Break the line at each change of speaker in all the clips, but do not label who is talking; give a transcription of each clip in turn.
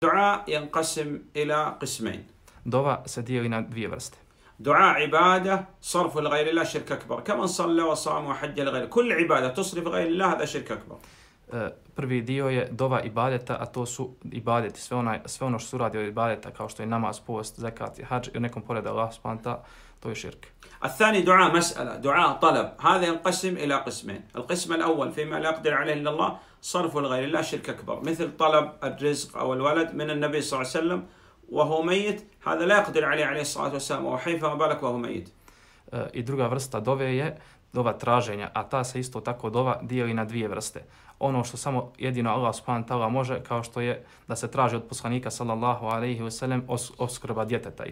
الدعاء ينقسم إلى قسمين.
Dova se dijeli na dvije vrste.
دعاء عبادة صرف لغير الله شرك أكبر كمن صلى وصام وحج لغير كل عبادة تصرف غير الله هذا شرك أكبر.
Prvi dio je dova ibadeta, a to su ibadeti, sve ono što se uradi od ibadeta, kao što je namaz, post, zekat i hadž, i nekom pored Allah subhanahu wa ta'ala, to je širk.
الثاني دعاء مسألة دعاء طلب هذا ينقسم إلى قسمين. القسم الأول فيما لا يقدر عليه إلا الله صرف لغير الله شرك أكبر مثل طلب الرزق أو الولد من النبي صلى الله عليه وسلم وهو ميت هذا لا يقدر عليه الصلاة والسلام وهو حي فما بالك وهو ميت.
I druga vrsta dove je dova traženja, a ta se isto tako dova dijeli na dvije vrste. Ono što samo jedino Allah subhanahu wa ta'ala može, kao što je da se traži od poslanika sallallahu alejhi ve sellem opskrba djeteta, i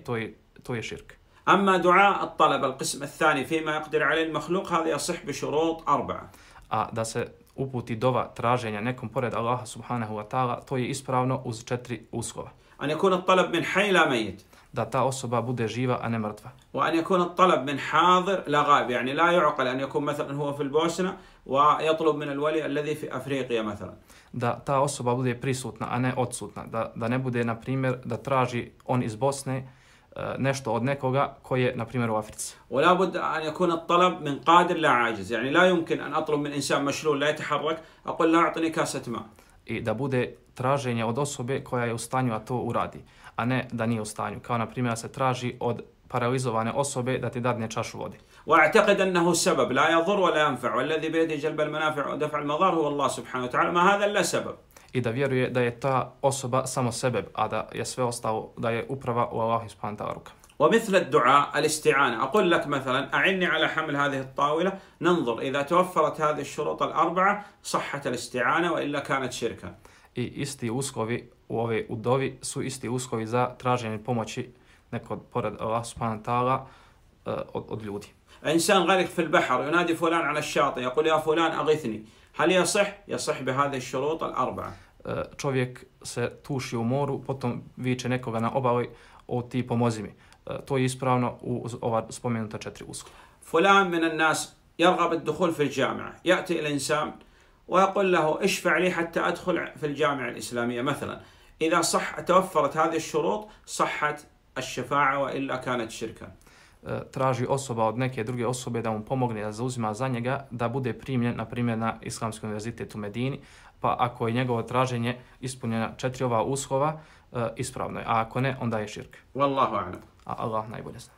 to je širk.
أما دعاء الطلب القسم الثاني فيما يقدر عليه المخلوق هذا يصح بشروط 4.
A da se uputi dova traženja nekom pored Allaha subhanahu wa ta'ala, to je ispravno uz 4 uslova.
أن يكون الطلب من حي لا ميت.
Da ta osoba bude živa, a ne mrtva.
وأن يكون الطلب من حاضر لا غائب يعني لا يعقل أن يكون مثلا هو في البوسنة ويطلب من الولي الذي في أفريقيا مثلا. Da ta osoba bude prisutna, a ne odsutna. Da ne bude, na primjer, da traži on iz Bosne nešto od nekoga koji je, na primjer, u Africi. ولا بد أن يكون الطلب من قادر لا عاجز يعني لا يمكن أن أطلب من إنسان مشلول لا يتحرك أقول لا أعطني كاسة ماء. I da bude traženje od osobe koja je u stanju a to uradi, a ne da nije u stanju. Kao, na primjer, se traži od paralizovane osobe da ti dadne čašu vode. واعتقد أنه سبب لا يضر ولا ينفع والذي بيده جلب المنافع ودفع المضار هو الله سبحانه وتعالى ما هذا إلا سبب. I da vjeruje da je ta osoba samo sebeb, a da je sve ostalo, da je uprava u Allahu subhanahu wa ta'ala ruka. ومثل الدعاء الاستعانة أقول لك مثلا أعني على حمل هذه الطاولة ننظر إذا توفرت هذه الشروط الأربعة صحت الاستعانة وإلا كانت شركا.
I isti uslovi u dovi su isti uslovi za traženje pomoći nekog pored Allah subhanahu wa ta'ala od ljudi.
إنسان غرق في البحر ينادي فلان على الشاطئ يقول يا فلان أغثني هل يصح؟ يصح بهذه الشروط الأربعة.
Čovjek se tuši u moru, potom viče nekoga na obali, o ti pomozi mi. To je ispravno uz ova spomenuta 4 uslova.
فلان من الناس يرغب الدخول في الجامعة يأتي الإنسان ويقول له اشفع لي حتى أدخل في الجامعة الإسلامية مثلا إذا توفرت هذه الشروط صحت الشفاعة وإلا كانت شركا.
Traži osoba od neke druge osobe da mu pomogne, da zauzima za njega, da bude primljen, na primjer, na Islamski univerzitet u Medini, pa ako je njegovo traženje ispunjena 4 ova uslova, ispravno je, a ako ne, onda je širk.
Wallahu a'lam.
A Allah najbolje zna.